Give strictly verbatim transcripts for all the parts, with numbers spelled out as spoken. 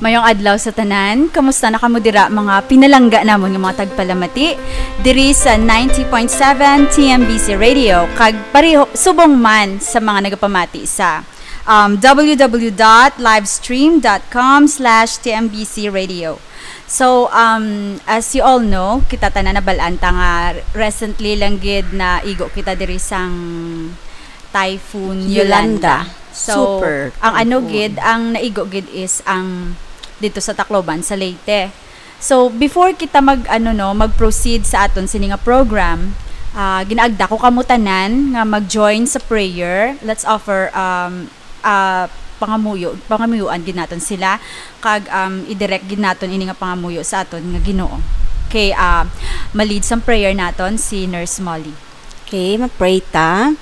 Mayong adlaw sa tanan. Kamusta na kamo dira, mga pinalangga namon nga mga tagpalamati diri sa ninety point seven T M B C Radio, kag pareho subong man sa mga nagapamati sa, um, w w w dot livestream dot com slash T M B C radio. So, um, as you all know, kita tanan nabalaan ta nga recently lang gid naigo kita diri sang Typhoon Yolanda. Yolanda. So, Super ang ano typhoon. Gid, ang naigo gid is ang dito sa Tacloban, sa Leyte. So, before kita mag, ano, no, mag-proceed sa aton sini nga program, ah, ginaagda ko kamo tanan nga mag-join sa prayer. Let's offer, um, ah, pangamuyo, pangamuyuan gid naton sila, kag, um, i-direct gid naton ini nga pangamuyo sa aton nga Ginoo. Okay, ah, ma-lead sang prayer naton si Nurse Molly. Okay, ma-pray ta.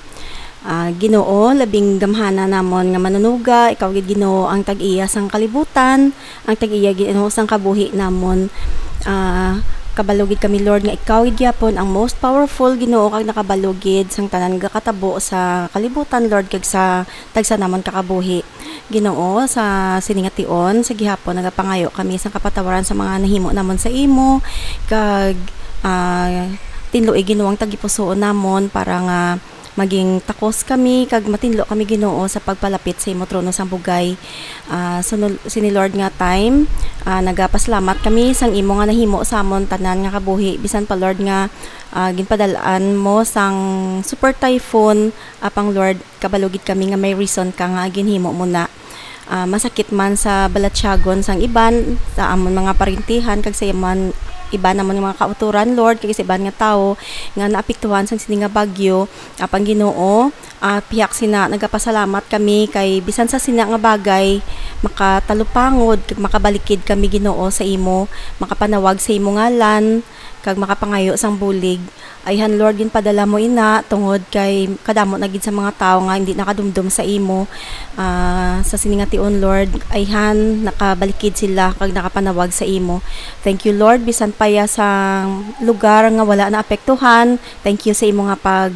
Ah, Ginoo, labing gamhana namon nga Manunuga, ikaw gid, Ginoo, ang tag-iya sang kalibutan, ang tag-iya, Ginoo, sang kabuhi namon. Ah, kabalo gid kami, Lord, nga ikaw gid gyapon ang most powerful, Ginoo, kag nakabalo gid sang tanan nga katabo sa kalibutan, Lord, kag sa tagsa namon ka kabuhi. Ginoo, sa sini nga tion, sa gihapon, nagapangayo kami sang kapatawaran sa mga nahimo namon sa imo, kag, ah, tinloi, Ginoo, ang tagipusoon namon para nga maging takos kami kag matinlo kami, Ginoo, sa pagpalapit sa imo trono sang bugay. Ah, sunod, sini, Lord, nga time, ah, nagapasalamat kami sang imo nga nahimo sa amon tanan nga kabuhi, bisan pa, Lord, nga, ah, ginpadal-an mo sang super typhoon, apang, Lord, kabalo gid kami nga may reason ka nga ginhimo mo na. Ah, masakit man sa balatyagon sang iban, sa amon mga parintihan, kag sa iman, iban namon nga mga kautoran, Lord, kag sa iban nga tawo nga naapektuhan sang sini nga bagyo. Apang, Ginoo, ah, pihak sina, nagapasalamat kami kay bisan sa sina nga bagay, makatalupangod kag makabalikid kami, Ginoo, sa imo, makapanawag sa imo ngalan, kag makapangayo sang bulig. Ayhan, Lord, ginpadala mo ina tungod kay kadamo na gid sa mga tawo nga hindi nakadumdom sa imo. Ah, sa sini nga tion, Lord, ayhan, nakabalikid sila kag nakapanawag sa imo. Thank you, Lord, bisan pa ya sa lugar nga wala naapektuhan. Thank you sa imo nga pag,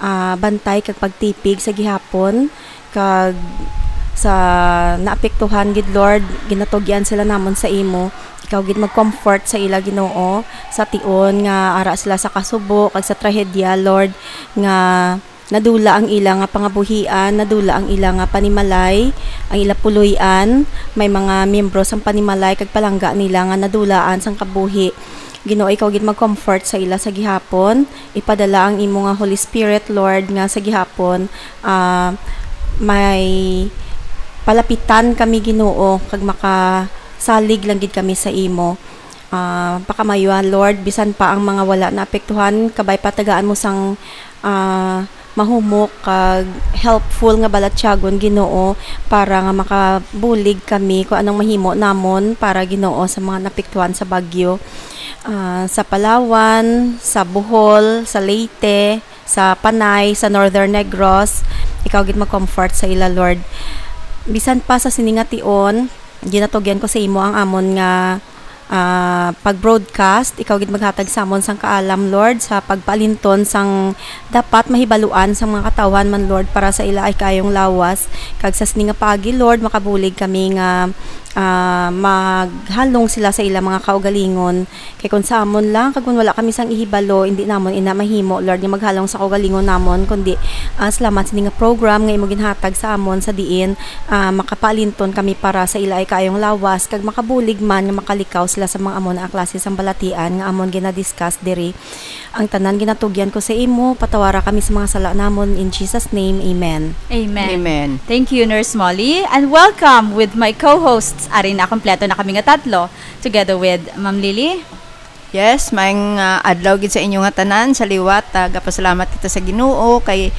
ah, bantay kag pagtipig sa gihapon. Kag sa naapektuhan gid, Lord, ginatugyan sila namon sa imo. Ikaw gid mag-comfort sa ila, Ginoo, sa tion nga ara sila sa kasubo kag sa trahedya, Lord, nga nadula ang ila nga pangabuhian, nadula ang ila nga panimalay, ang ila puloy-an. May mga miyembro sang panimalay kag palangga nila nga nadulaan sang kabuhi. Ginoo, ikaw gid mag-comfort sa ila sa gihapon. Ipadala ang imo nga Holy Spirit, Lord, nga sa gihapon, ah, may palapitan kami, Ginoo, kag makasalig lang gid kami sa imo. Ah, pakamayuan, Lord, bisan pa ang mga wala naapektuhan, kabay patagaan mo sang, ah, mahumok kag helpful nga balatyagon, Ginoo, para nga makabulig kami kung anong mahimo namon para, Ginoo, sa mga naapektuhan sa bagyo. Ah, sa Palawan, sa Bohol, sa Leyte, sa Panay, sa Northern Negros, ikaw gid mag-comfort sa ila, Lord. Bisan pa sa sini nga tion, ginatugyan ko sa imo ang amon nga, ah, pag-broadcast. Ikaw gid maghatag sa amon sang kaalam, Lord, sa pagpaalinton sang dapat mahibaluan sang mga katawhan man, Lord, para sa ila ay kaayong lawas. Kag sa sini nga paagi, Lord, makabulig kami nga, ah, maghalong sila sa ila mga kaugalingon. Kay kun sa amon lang, kag kun wala kami sang ihibalo, indi namon ina mahimo, Lord, nga maghalong sa kaugalingon namon, kundi, ah, salamat sini nga program nga imo ginhatag sa amon, sa diin, ah, makapaalinton kami para sa ila ay kaayong lawas, kag makabulig man nga makalikaw sila sa mga amo na klase sang balatian nga amon ginadiscuss diri. Ang tanan ginatugyan ko sa imo, patawara kami sa mga sala namon. In Jesus' name, amen. Amen. Amen. Thank you, Nurse Molly, and welcome with my co-hosts. Ari na, kompleto na kami nga tatlo, together with Ma'am Lily. Yes, maayong, ah, adlaw gid sa inyo nga tanan. Sa liwat, ah, gapasalamat kita sa Ginoo kay,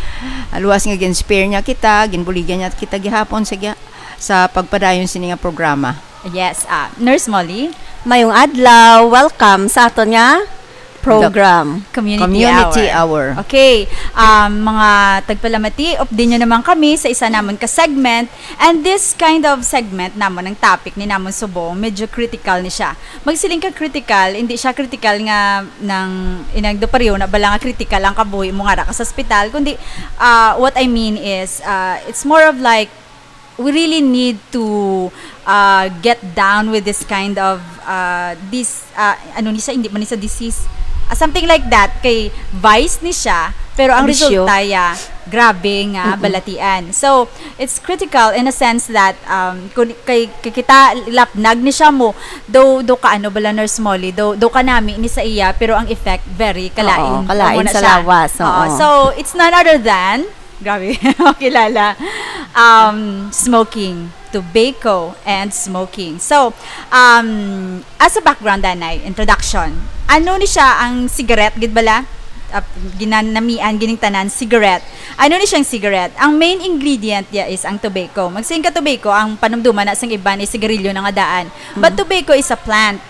ah, luwas nga gin-spare niya kita, ginbuligan niya kita gihapon sa gi-, sa pagpadayon sini nga programa. Yes, ah, Nurse Molly. Mayong adlaw, welcome sa aton nga program. Community Community Hour. Hour. Okay, um, mga tagpalamati, update nyo naman kami sa isa namon ka segment. And this kind of segment namon, ang topic ni namon subong, medyo critical ni siya. Magsiling ka critical, hindi siya critical nga nang inang do pareho na bala nga critical ang kabuhi mo nga ra ka sa ospital, kundi, ah, what I mean is, ah, it's more of like, We really need to, uh, get down with this kind of, uh, this, uh, ano ni siya, hindi man ni siya disease. Ah, something like that. Kay vice ni siya, pero ang Bisyo. resulta ya, grabe nga Mm-mm. balatian. So, it's critical in a sense that, um, kun, kay, kay kita lapnag ni siya mo, do, do ka ano bala, Nurse Molly, do, do ka nami ni sa iya, pero ang effect very kalain. Oo, kalain Amo na sa siya. lawas, Oo, oo. So, it's none other than, grabe, kilala, um, smoking, tobacco, and smoking. So, um, as a background, anay, introduction, ano ni siya ang cigarette, gid bala? Uh, ginanamian, gining tanan, cigarette. Ano ni siyang cigarette? Ang main ingredient niya is ang tobacco. Magsiling ka tobacco, ang panumduman na sang iban is sigarilyo na nga daan. But Mm. tobacco is a plant.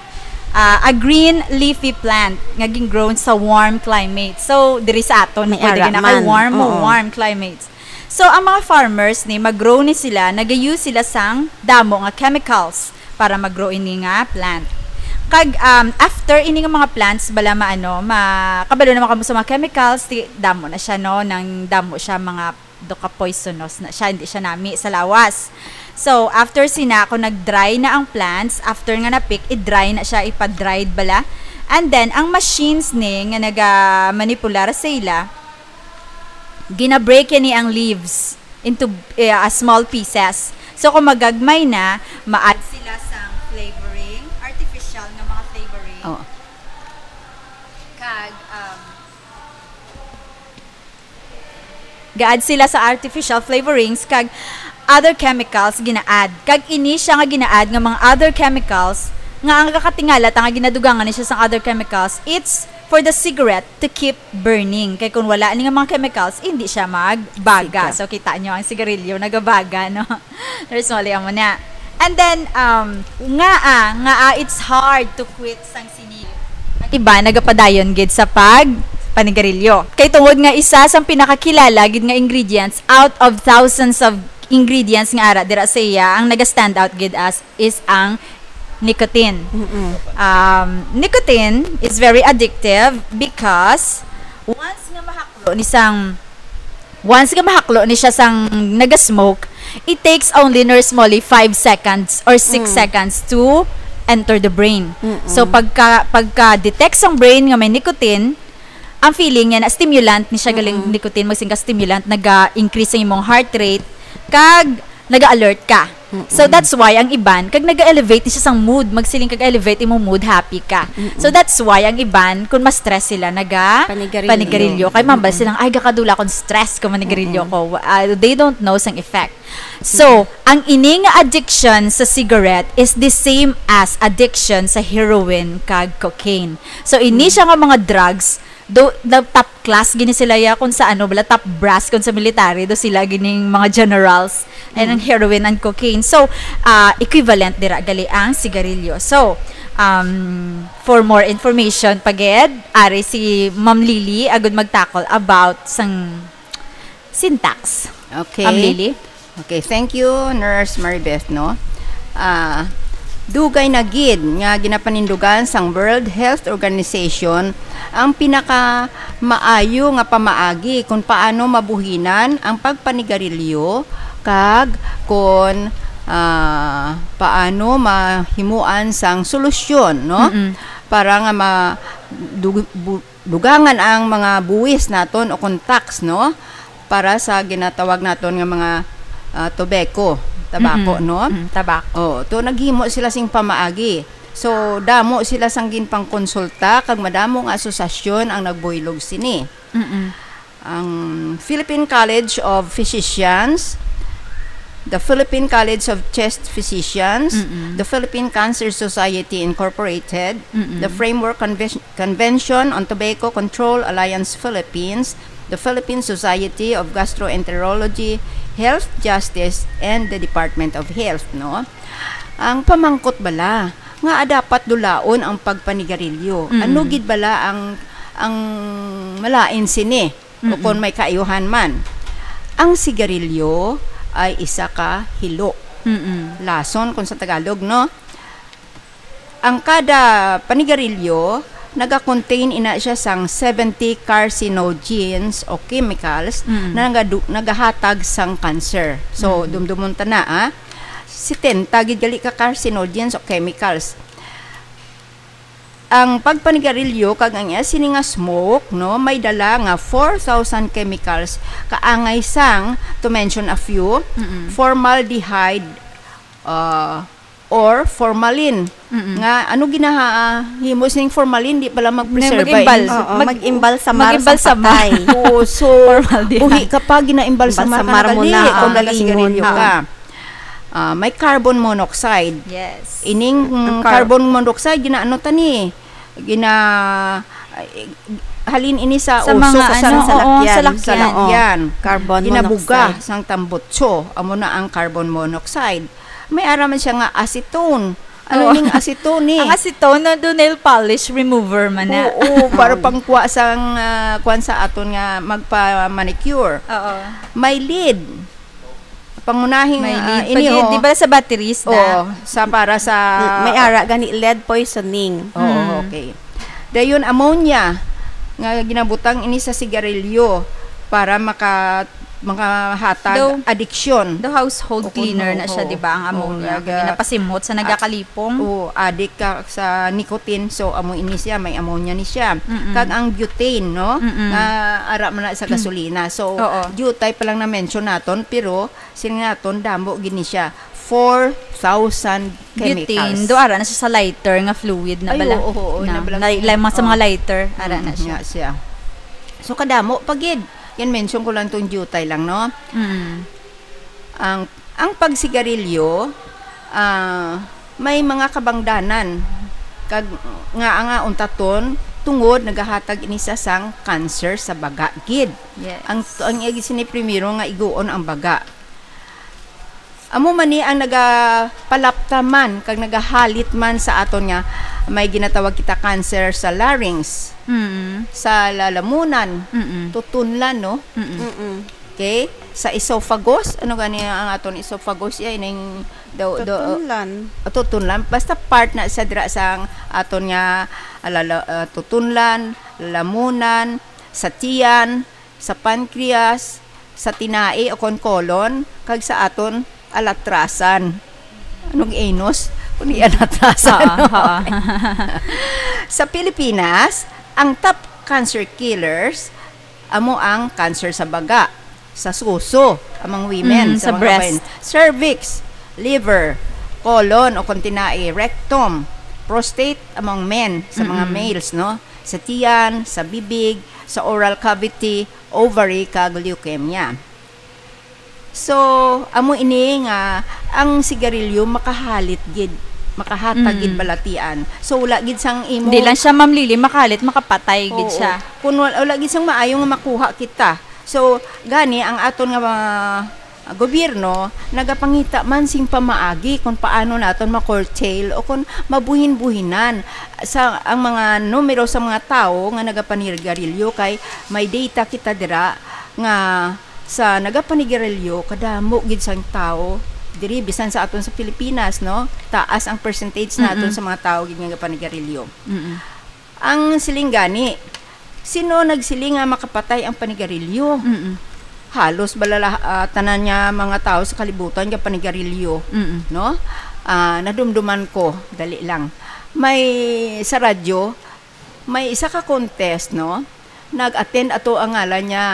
Ah, a green leafy plant nga gin-grown sa warm climate. So, diri sa aton, May pwede ara gina kay man. warm mo, Oo. warm climates. So, ang mga farmers ni, mag-grow ni sila, nag-use sila sang damo nga chemicals para mag-grow ini nga plant. Kag, um, after ini nga mga plants, bala maano, ma-, kabalo naman kamo sa mga chemicals, ti-, damo na siya, no? Nang damo siya, mga do ka poisonous na siya, hindi siya nami sa lawas. So, after sina, kung nag-dry na ang plants, after nga na-pick, i-dry na siya, ipa-dried bala. And then, ang machines ni nga naga-manipular sa ila, gina-break ni ang leaves into, eh, a small pieces. So, kung magagmay na, ma-add sila sang flavoring, artificial nga mga flavoring. Oh. Kag, um, ga-add sila sa artificial flavorings kag other chemicals gina-add. Kag ini siya nga gina-add nga mga other chemicals nga ang nagakatingala ta nga ginadugangan ni siya sang other chemicals, it's for the cigarette to keep burning. Kay kung wala ni nga mga chemicals, hindi siya magbaga. Siga. So, kita nyo, ang sigarilyo nagabaga, no? There's only amo na. And then, um, nga, ah, nga, ah, it's hard to quit sang sini. Ang iba nagapadayon gid sa pag panigarilyo. Kay tungod nga isa sang pinakakilala gid nga ingredients out of thousands of ingredients nga ara dira sa iya, ang naga-stand out gid as is ang nicotine. Mm-mm. Um, nicotine is very addictive because once nga mahaklo ni sang, once nga mahaklo ni siya sang naga-smoke, it takes only, Nurse Molly, five seconds or six Mm. seconds to enter the brain. Mm-mm. So, pagka, pagka-detect sang brain nga may nicotine, ang feeling niya na stimulant ni siya, galing Mm-mm. nicotine, magsiling ka stimulant, naga-increase ang imong heart rate, kag naga-alert ka. Mm-mm. So, that's why ang iban, kag naga-elevate ni siya sang mood, magsiling kag elevate imong mood, happy ka. Mm-mm. So, that's why ang iban, kung ma-stress sila, naga Panigarilyo. panigarilyo. Kay mambal Mm-mm. silang, "Ay, gakadula akong stress kung manigarilyo Mm-mm. ko." Uh, they don't know sang effect. So, Mm-mm. ang ini nga addiction sa cigarette is the same as addiction sa heroin kag cocaine. So, ini Mm. siya nga mga drugs, do, the top class gini sila ya, kung sa ano bala, top brass kung sa military, do sila gining mga generals, and ang Mm. heroin and cocaine. So, ah, equivalent dira gali ang sigarilyo. So, um, for more information pa gid, ari si Ma'am Lily agud mag-tackle about sang syntax. Okay. Ma'am Lily? Okay, thank you, Nurse Maribeth, no? Ah, dugay na gid nga ginapanindugan sang World Health Organization ang pinakamaayo nga pamaagi kung paano mabuhinan ang pagpanigarilyo kag kung, ah, paano mahimuan sang solusyon, no? Mm-mm. Para nga ma-, du-, bu-, dugangan ang mga buwis naton o kung tax, no? Para sa ginatawag naton nga mga, ah, tobacco, tabako, Mm-mm. no? Mm, tabako. Oh, to naghimo sila sing pamaagi. So, damo sila sang ginpangkonsulta kag madamo nga asosasyon ang nagbuylog sini. Mm-mm. Ang Philippine College of Physicians, the Philippine College of Chest Physicians, Mm-mm. the Philippine Cancer Society Incorporated, Mm-mm. the Framework Conven-, Convention on Tobacco Control Alliance Philippines, the Philippine Society of Gastroenterology, Health Justice, and the Department of Health, no? Ang pamangkot bala nga dapat dulaon ang pagpanigarilyo? Mm. Ano gid bala ang, ang malain sini? O Mm-mm. kon may kaayuhan man. Ang sigarilyo ay isa ka hilo. Mm-mm. Lason kung sa Tagalog, no? Ang kada panigarilyo Naga-contain ina siya sang seventy carcinogens o chemicals Mm. na nagadu-, nagahatag sang cancer. So, Mm. dumdumon ta na, ah. Setenta gid gali ka carcinogens o chemicals. Ang pagpanigarilyo kag ang iya sini nga smoke, no, may dala nga four thousand chemicals, kaangay sang, to mention a few, Mm-mm. formaldehyde, ah, or formalin. Mm-mm. Nga, ano ginahimo sing formalin? Di pala mag-preserve. Mag-imbal. Oo, Mag-, mag-imbal sa mar sa mag-imbal sa mar. Patay. Oo, so, Formaldehyde. Buhi ka pa, ginaimbalsamar ka Imbalsamar na mo gali na, kung ah. Nagasigarilyo Oo. ka. Ah, may carbon monoxide. Yes. Ining, mm, Ang car- carbon monoxide, ginaano ta ni? Gina-, eh, halin ini sa Sa usok mga sa ano, oo, salakyan. Salakyan. Salakyan. Carbon Ginabuga monoxide. Sang tambutso. Amo na ang carbon monoxide. May ara man siya nga acetone. Ano Oo. Ning acetone, eh? Ang acetone, no, do nail polish remover man na. Oo, para Oo. pangkuha sang, ah, kuwan sa aton nga magpa-manicure. Oo. May lead. Pangunahing, May ah, lead. Ini, Pag-, oh. Di ba sa batteries na? Oo, sa, para sa May ara gani lead poisoning. Oo, Mm. okay. Dayon, ammonia, nga ginabutang ini sa sigarilyo para maka-, makahatag Daw, adiksyon. Daw household O, cleaner kuno, na siya, oo. Di ba, ang Oo, ammonia? Naga-, Ginapasimhot sa nagakalipong. Oo, adik ka sa nicotine, so amo ini siya, may ammonia ni siya. Mm-mm. Kag ang butane, no? Mm-mm. Nga ara man na sa gasolina. So, Oo. diutay pa lang na-mention naton, pero sini naton, damo gid ni siya. Four thousand chemicals. Butane, do ara na siya sa lighter nga fluid na Ay, bala. Oo, oo, Na, na bala. Lay-, lay-, mga sa mga Oo. lighter, ara na Mm, siya. Nga siya. So, kadamo pa gid. Yan, mention ko lang tong diutay lang, no? Mm. Ang, ang pagsigarilyo, ah, may mga kabangdanan. Kag nga, nga untaton, tungod nagahatag ini sa sang cancer sa baga gid. Yes. Ang, ang iya gid sini primero nga iguon ang baga. Amo man ni ang nagapalapta man kag nagahalit man sa aton nga may ginatawag kita cancer sa larynx, Mm. sa lalamunan, Mm. tutunlan, no? Mm. Mm-mm. Okay? Sa esophagus, ano gani ang aton esophagus? Iya, ining do-, do-, Tutunlan. Ah, tutunlan. Basta part na siya dira sa ang aton nga, ah, lala-, ah, tutunlan, lalamunan, sa tiyan, sa pancreas, sa tinai o kon colon, kag sa aton alatrasan. Anong anus? Kung di alatrasan, Haa, no? Haa. Sa Pilipinas, ang top cancer killers amo ang cancer sa baga, sa suso, among women, Mm, sa sa mga breast. Babaen, cervix, liver, colon o kon tinai, rectum, prostate among men, sa mga Mm-mm. males, no? Sa tiyan, sa bibig, sa oral cavity, ovary, kag leukemia. So, amo ini nga ang sigarilyo makahalit gid, makahatag gid Mm. balatian. So, wala gid sang imo Di lang siya, Ma'am Lily, makahalit, makapatay gid Oo. siya. Kung wal-, wala gid sang maayo nga makuha kita. So, gani ang aton nga mga gobyerno nagapangita man sing pamaagi kung paano naton ma-curtail o kung mabuhin-buhinan sa ang mga numero sa mga tawo nga nagapanigarilyo, kay may data kita dira nga sa nagapanigarilyo, kadamo gid sang tawo diri, bisan sa aton sa Pilipinas, no? Taas ang percentage naton Mm-mm. sa mga tawo gid nga nagapanigarilyo. Mm-mm. Ang siling gani, sino nagsiling nga makapatay ang panigarilyo? Mm-mm. Halos balala, ah, tanan nga mga tawo sa kalibutan nga panigarilyo, Mm-mm. no? Ah, nadumduman ko, dali lang. May sa radyo, may isa ka contest, no? Nag-attend ato ang ngalan niya,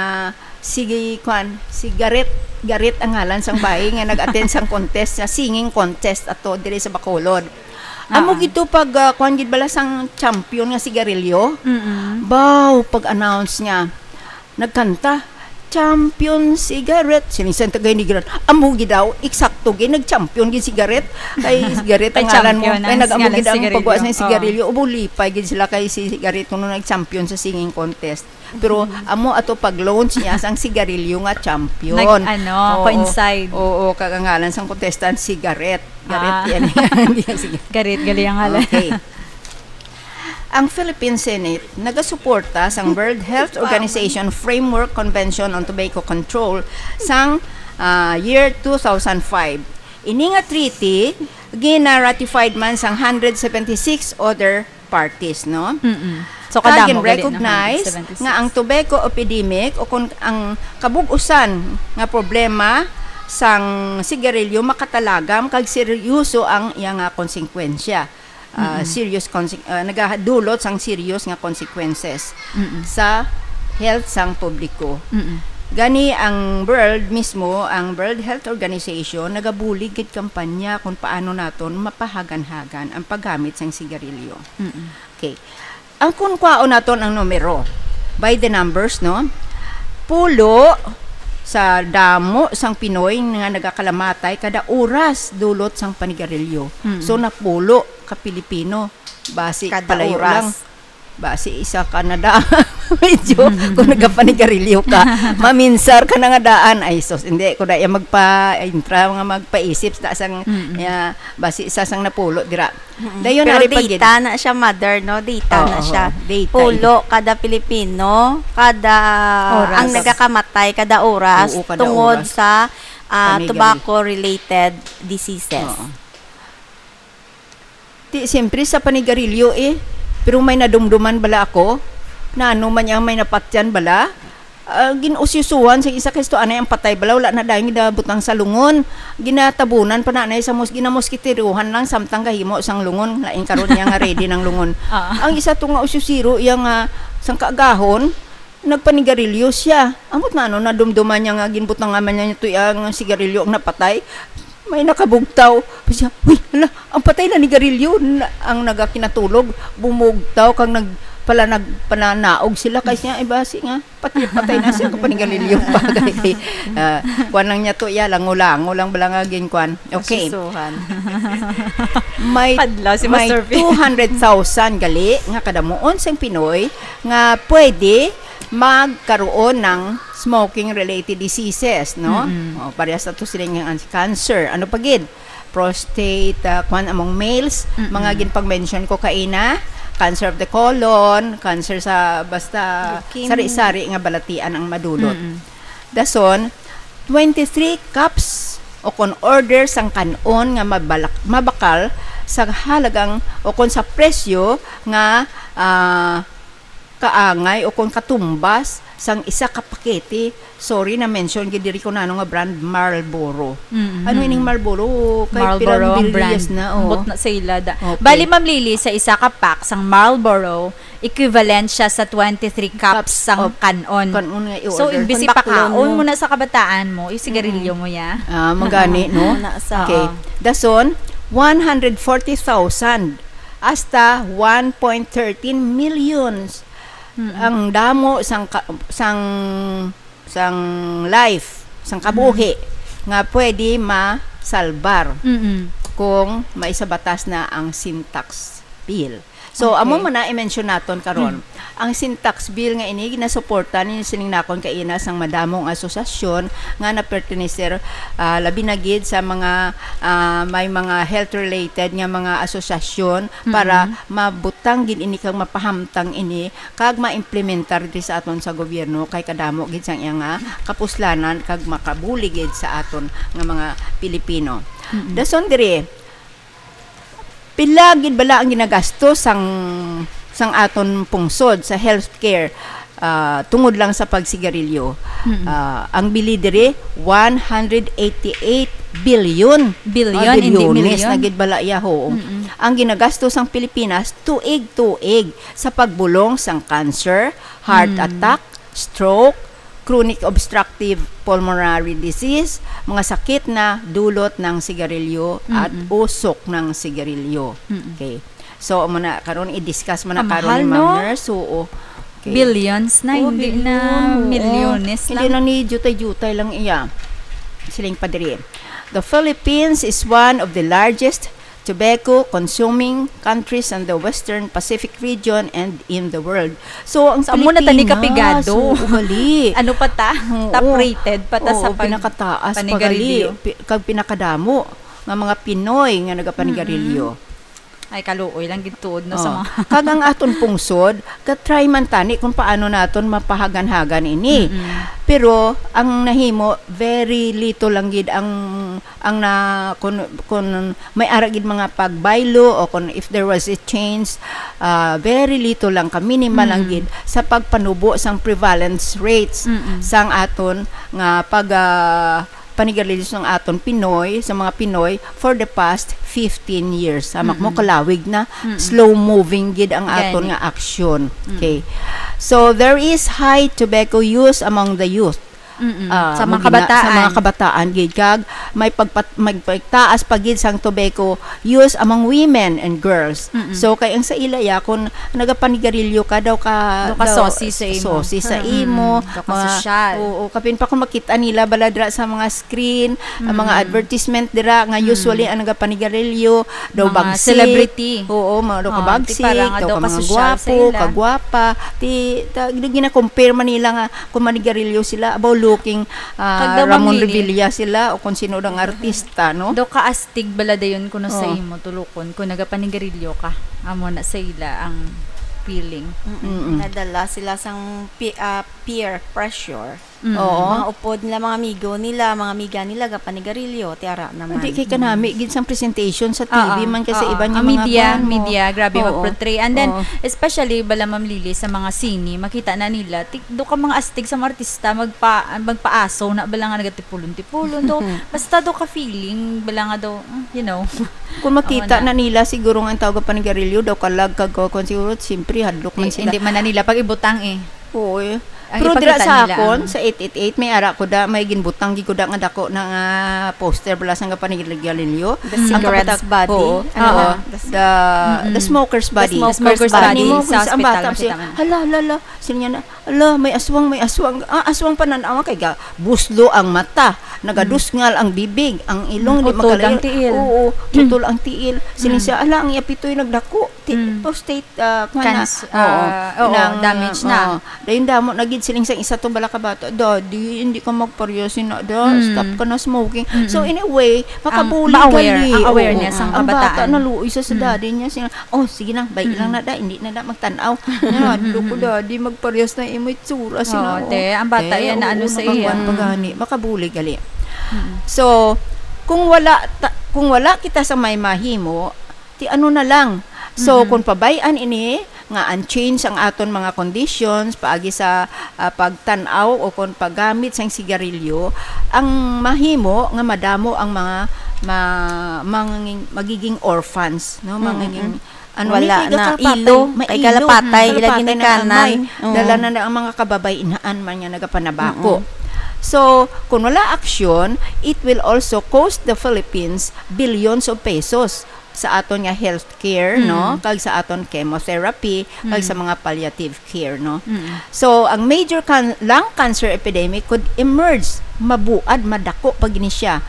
si, kwan, si Gareth. Gareth ang ngalan sang bayi nga nag-attend sang contest, sa singing contest ato diri sa Bacolod. Amo Ah. gid to pag, ah, kwan gid bala sang champion nga sigarilyo. Mm-mm. Baw, pag-announce niya, nagkanta, "Champion sigaret." Sinisan tagay ni Gran. Amo gid daw, eksakto gid, nag-champion gid sigaret. Kay sigaret ang Kay ngalan mo. champion Kay ang nag-amo ngalan gid ang sigarilyo. pagwa sa Oo. sigarilyo. Ubo, lipay gid sila kay si sigaret kuno nag-champion sa singing contest. Pero amo ato pag-launch niya sang sigarilyo nga champion. Nag-, ano, Oo. coincide. Oo, kag ang ngalan sang contestant, sigaret. Garet Ah. yan. Hindi yan, sige. Garet, gali ang ngalan. Okay. Ang Philippine Senate nagasuporta sang World Health Organization Framework Convention on Tobacco Control sang, ah, year two thousand five. Ini nga treaty gina-ratified man sang hundred seventy-six other parties, no? Mm-mm. So, Kag kadamo gali na recognize one hundred seventy-six. Nga ang tobacco epidemic o kung ang kabug-usan nga problema sang sigarilyo makatalagam kag seryoso ang iya nga konsekwensya. Ah, Mm-mm. Serious conse- ah, nagadulot sang serious nga consequences Mm-mm. sa health sang publiko. Mm-mm. Gani ang world mismo, ang World Health Organization nagabulig gid kampanya kung paano naton mapahagan-hagan ang paggamit sang sigarilyo. Mm-mm. Okay. Ang kun kwaon naton ang numero, by the numbers, no? Pulo sa damo sang Pinoy nga nagakalamatay kada oras dulot sang panigarilyo. Mm. So napulo ka Pilipino basi Kada palayo oras. lang. Basi isa ka na da. Medyo kung nagapanigarilyo ka, maminsar ka na nga daan. Ay sus, hindi ko na iya magpa-intra nga magpaisip sa sang Mm-mm. ya, basi isa sang napulo dira. Mm-mm. Dayon Pero ari pa gid. Data na siya, mother, no? Data Oo, na siya. Data. Pulo kada Pilipino, kada Oras. ang nagakamatay kada oras Oo, kada tungod oras. Sa ah, Panigarilyo. Tobacco-related diseases. Oo. Ti siyempre sa panigarilyo eh. Pero may nadumduman bala ako. Na ano man niya may napatyan bala. Ah, gin-usyusuhan sa isa ka isto anay ang patay bala, wala na dayon ginabutang sa lungon. Ginatabunan pa nanay sa mos ginamoskitiruhan lang samtang gahimo sang lungon, lain karon niya nga ready ng lungon. Ah. Ang isa to nga usyusiro iya nga sang kaagahon, nagpanigarilyo siya. Amot na ano nadumduman niya nga ginbutangan man niya to ang sigarilyo ang napatay. May nakabugtaw. Siya, uy, hala, ang patay na ni Garillo. Na, ang nagakinatulog, bumugtaw kag nag pala nagpananaog sila kay siya, ay basi nga pati patay na siya kapag ni Garillo pa kay ah, kuan lang niya to iya lango-lango lang bala nga ginkuan. Okay. Susuhan. May Padlaw si may Master P. two hundred thousand gali nga kadamuon sang Pinoy nga pwede magkaroon ng smoking related diseases, no? Mm-mm. Oh, parehas na to sila nga ang cancer. Ano pa gid? Prostate, ah, kwan among males, Mm-mm. mga ginpag-mention ko kaina, cancer of the colon, cancer sa basta Leukemia. sari-sari nga balatian ang madulot. Mm-mm. Dason, twenty-three cups o kon order sang kan-on nga mabalak, mabakal sa halagang o kon sa presyo nga ah, kaangay o kon katumbas sang isa ka pakete. Sorry, na-mention gid diri ko nano nga brand Marlboro. Mm-hmm. Ano ining Marlboro? Kay Marlboro pilang ang billions brand. Na, oh. Ambot na sa ila da. Okay. Bali, Ma'am Lily, sa isa ka pack sang Marlboro, equivalent siya sa twenty-three cups Cups sang of kan-on. Kan-on nga i-order. So, imbis Panbaklon ipapaon mo. mo na sa kabataan mo, yung sigarilyo mo ya. Ah, magani, no? Ano na sa- Okay. Oo. Dason, one hundred forty thousand hasta one point thirteen millions Mm-mm. ang damo sang ka- sang sang life, sang kabuhi nga pwede masalbar Mm-mm. kung maisabatas na ang sin tax bill. So, Okay. Amo man na i-mention naton karon. Ang sin tax bill nga ini ginasuporta ni sining nakon kaina sang madamo nga asosasyon nga naperteneser, ah, labi na gid sa mga, ah, may mga health related nga mga asosasyon para mabutang gid ini kag mapahamtang ini kag maimplementar diri sa aton sa gobyerno kay kadamo gid sang iya nga kapuslanan kag makabulig gid sa aton nga mga Pilipino. Mm-mm. Dason diri, pila gid bala ang ginagasto sang sang aton pungsod sa healthcare, ah, tungod lang sa pagsigarilyo? Mm-mm. Ah, ang bili diri one hundred eighty-eight billion. Billion, Ah, hindi bilyones million. Na gid bala iya, ho. Mm-mm. Ang ginagasto sang Pilipinas tuig-tuig sa pagbulong sang cancer, heart Mm. attack, stroke, chronic obstructive pulmonary disease, mga sakit na dulot ng sigarilyo at Mm-mm. usok ng sigarilyo. Mm-mm. Okay. So, amo na karon i-discuss mo na Ang karon mahal, ni Ma'am no? Nurse. Oo. Okay. Billions na, Oh, hindi billion, na oo. Milyones Hindi lang. Lang ni jutay-jutay lang iya. Siling pa diri. The Philippines is one of the largest tobacco consuming countries in the Western Pacific region and in the world. So, ang So, amo na tani Pilipinas, kapigado. Oo, gali. Ano pa ta? Oo. Top rated pa ta sa Oo, pag- pinakataas pa panigarilyo. Gali. Pi- kag pinakadamo nga mga Pinoy nga nagapanigarilyo. Ay, kaluoy lang gid tuod, no, Oh. sa mga Kag ang aton pungsod, ka-try man tani kung paano naton mapahagan-hagan ini. Mm-mm. Pero ang nahimo, very little lang gid ang ang na, kun, kun may ara gid mga pagbaylo o kun if there was a change, ah, very little lang, ka minimal lang Mm. gid sa pagpanubo sang prevalence rates Mm-mm. sang aton nga pag, ah, panigarilyo sang aton Pinoy, sa mga Pinoy for the past fifteen years. Hamak mo, Mm-mm. kalawig na, Mm-mm. slow moving gid ang aton Gani. nga aksyon. Mm. Okay. So, there is high tobacco use among the youth. Mm-mm. Ah, Sa mga mo gina-, sa mga kabataan. kabataan gid, kag may pagpat-, may pagtaas pa gid sang tobacco use among women and girls. Mm-mm. So, kay ang sa ila ya, kung nagapanigarilyo ka, daw ka, Daw ka daw sosi sa imo. sosi sa Mm-mm. imo, Daw ka mga, sosyal. oo, kapin pa kung makita nila bala dira sa mga screen, ang mga Mm-mm. advertisement dira nga Mm. usually ang nagapanigarilyo, daw Mga bagsik. celebrity. Oo, mga daw Oh, ka bagsik, ti parang daw daw ka ka mga sosyal sa gwapo, ila. kagwapa. Ti, ta-, gina-compare man nila nga kung manigarilyo sila, about looking, ah, Kag daw, Ma'am Ramon Lily. Revilla sila, o kung sino dang artista, no? Daw kaastig bala dayon kuno sa Oh. imo, tulukon, kung nagapanigarilyo ka. Amo na sa ila ang feeling. Mm-mm. Mm-mm. Nadala sila sang pi-, ah, peer pressure. Mm. Oo. Mga upod nila, mga amigo nila, mga amiga nila, gapanigarilyo, ti ara naman. Hindi kay kanami, Mm. gid sang presentation sa T V Oo, man kay sa oo. iban nga Ang mga media, kuwan mo. media, grabe Oo. mag-portray. And then, Oo. especially, bala, Ma'am Lily, sa mga sine, makita na nila, ti-, do ka mga astig sa mga artista, magpa-, magpaaso na bala nga nagatipulon-tipulon. Do, basta do ka feeling, bala nga do, mm, you know. Kung makita Awa na. na nila, siguro nga ang tawag panigarilyo, daw kalag kag kuwan, siguro, siyempre, hadlok man Di-, sila. hindi man na nila pag-ibutang eh. Oo, eh. Ang Pero dira ipakita sa nila akon, ang sa eight eight eight, may ara ko da, may ginbutang gid ko da nga dako na nga poster bala sang gapanigarilyo. The Mm. Ang cigarettes kapitak-, body. oo, Ano oo. na? The The, Mm-mm. the smoker's The body. smoker's The smoker's body. body. Nimo, Sa ang ospital, bata, makita siya, man. "Hala, hala, hala." Sino niya na, "Hala, may aswang, may aswang." Ah, aswang pa nan-awa kay ga-, buslo ang mata. Nagadusngal Mm. ang bibig, ang ilong, Ang di utol, makalayo. ang tiil. Oo, Mm. utol ang tiil. Sino Mm. siya, "Hala, ang iya pitoy nagdako." Ti-, Mm. prostate, ah, kuwan na. Canc-, Oo. ah, oo, Nang, damage na. oo. Dayon damo na gid siling sang isa to bala ka bata, "Daddy, hindi ka magparehas ina, da. Mm. Stop ka na smoking." Mm-mm. So, in a way, Ang makabulig ma-aware, gali. ang awareness Oo. ang Ang bata kabataan. naluoy sa, sa Mm. daddy niya, sila, "Oh, sige lang, bay lang Mm. na da, hindi na da magtan-aw." Nga, Mm-mm. "Duko, daddy, magparehas na imo itsura, sina, Oo, oh." te, ang bata Te, yan na oo, ano sa nakakuan iya. pa Mm. gani, makabulig gali. Mm-mm. So, kung wala ta-, kung wala kita sa may mahimo, ti ano na lang. So, Mhm. kung pabay-an ini nga unchanged ang aton mga conditions paagi sa, ah, pagtan-aw o kon paggamit sang sigarilyo, ang mahimo nga madamo ang mga ma-, manging-, magiging orphans, no? Mm-mm. Mangiging, ano Wala ni, kay na, kalapatay, ilo, may kay ilo, kalapatay, mm, ila kalapatay na ginikanan. amay. Oo. Dala na na ang mga kababaynaan man nga nagapanabako. Mm-mm. So, kung wala aksyon, it will also cost the Philippines billions of pesos sa aton nga healthcare, no? Mm. Kag sa aton chemotherapy, kag sa Mm. mga palliative care, no? Mm. So, ang major can-, lung cancer epidemic could emerge, mabuad, madako pa gini siya,